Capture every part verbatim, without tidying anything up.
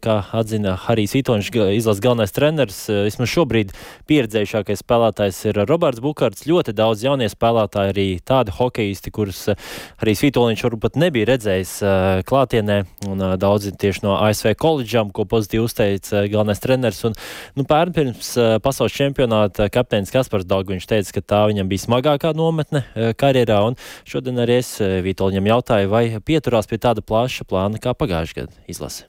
kā atzina Harijs Vitoļņš, izlases galvenais treneris. Vismaz šobrīd pieredzējušākais spēlētājs ir Roberts Bukarts. Ļoti daudz jaunie spēlētāji, arī tādi hokeisti, kurus Harijs Vitoļņš varbūt nebija redzējis klātienē, un daudzi tieši no A S V koledžām, ko pozitīvi uzteica galvenais treneris. Un, nu, pērn pirms pasaules čempionāta kapteinis Kaspars Daugviņš teica, ka tā viņam bija smagākā nometne karjerā, un šodien arī es Vitoļņam jautāju, vai pieturās pie tāda plaša plāna kā pagājušajā gadā izlase.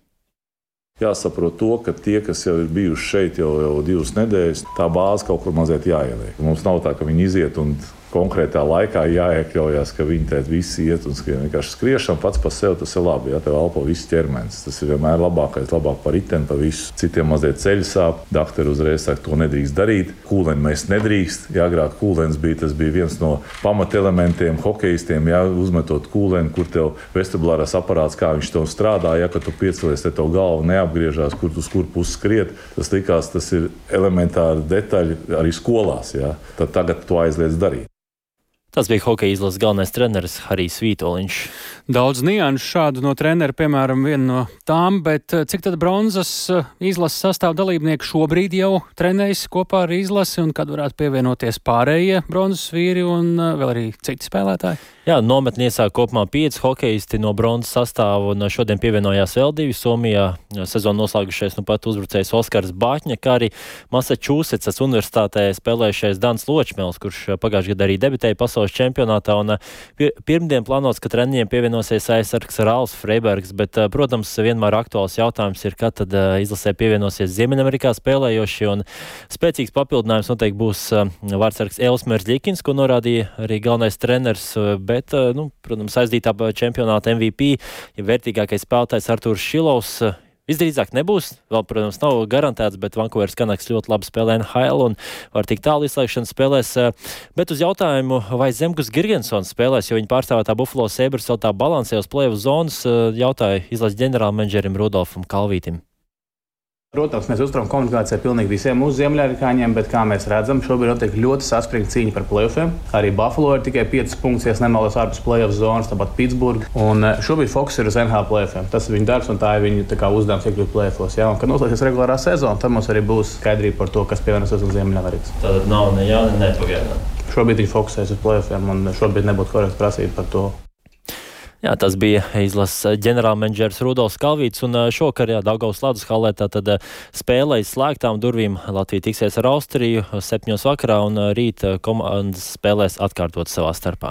Jāsaprot to, ka tie, kas jau ir bijuši šeit jau, jau divas nedēļas, tā bāze kaut kur mazliet jāieliek. Mums nav tā, ka viņi iziet un konkrētā laikā jāiekļaujās, ka viņi tēt visi iet un skrien. Vienkārši skriešana pats par sevi, tas ir labi, ja tev elpo viss ķermenis. Tas ir vienmēr labākais, labāk par riteni, par visu. Citiem mazliet ceļu sāp, dakteri uzreiz saka, to nedrīkst darīt. Kūleni mēs nedrīkst. Jā, agrāk kūlens bija, tas bija viens no pamatelementiem hokeistiem, jā, uzmetot kūleni, kur tev vestibulārās aparāts, kā viņš tev strādā, ja, kad tu piecelies, te tev galva neapgriežās, kur tu kur pusi skriet. Tas likās, tas ir elementāri detaļi arī skolās, jā. Tad tagad to aizliedz darīt. Tas bija hokeja izlases galvenais treneris Harijs Vitoļņš. Daudz nianšu šādu no trenera, piemēram, viena no tām, bet cik tad bronzas izlases sastāv dalībnieki šobrīd jau trenējas kopā ar izlasi, un kad varētu pievienoties pārējie bronzas vīri un vēl arī citi spēlētāji? Jā, nometni iesāk kopumā pieci hokeisti no bronzas sastāvu, un šodien pievienojās vēl divi. Somijā sezonu noslēgušies nu pat uzbrucējs Oskars Bāķņa, kā arī Masačūsetsas universitātē spēlējušais Dans Ločmēls, kurš pagājušajā gadā arī debitēja pasaules čempionātā, un pirmdien plānots, ka treniņiem pievienosies aizsargs Rāls Freibergs, bet, protams, vienmēr aktuāls jautājums ir, kad tad izlasē pievienosies Ziemeļamerikā spēlējošie, un spēcīgs papildinājums noteikti būs vārdsargs Elsmers Ļikins, ko norādīja arī galvenais treneris, bet, nu, protams, aizdītā čempionāta M V P, ja vērtīgākais spēlētājs Artūrs Šilovs, visdrīzāk nebūs. Vēl, protams, nav garantēts, bet Vancouveras Canucks ļoti labi spēlē N H L un var tik tālu izslēgšanas spēlēs. Bet uz jautājumu, vai Zemgus Girgensons spēlēs, jo viņa pārstāvētā Buffalo Sabres vēl tā balansē uz play-off zonas, jautāja izlases ģenerālmenedžerim Rudolfam Kalvītim. Protams, mēs uzturam komunikāciju pilnīgi visiem mūsu ziemeļamerikāņiem, bet, kā mēs redzam, šobrīd notiek ļoti saspringta cīņa par play-offiem. Arī Buffalo ir tikai piecas punktus, ja nemaldos, ārpus play-off zonas, tāpat Pitsburga. Un šobrīd fokus ir uz N H L play-offiem. Tas ir viņa darbs un tā ir viņa tā kā uzdevums iekļūt play-offos. Ja? Un, kad noslēgsies regulārā sezona, tad mums arī būs skaidrība par to, kas pievienosies uz Ziemeļamerikas. Tad nav ne jā, ne pagaidām. Šobrīd viņi fokusēs uz play-offiem un šobrīd nebūtu korekti prasīt par to. Jā, tas bija izlases ģenerālmenedžers Rudolfs Kalvīts, un šokar, jā, Daugavas Ledus hallē tātad spēlē aiz slēgtām durvīm. Latvija tiksies ar Austriju septiņos vakarā, un rīt komandas spēlēs atkārtot savā starpā.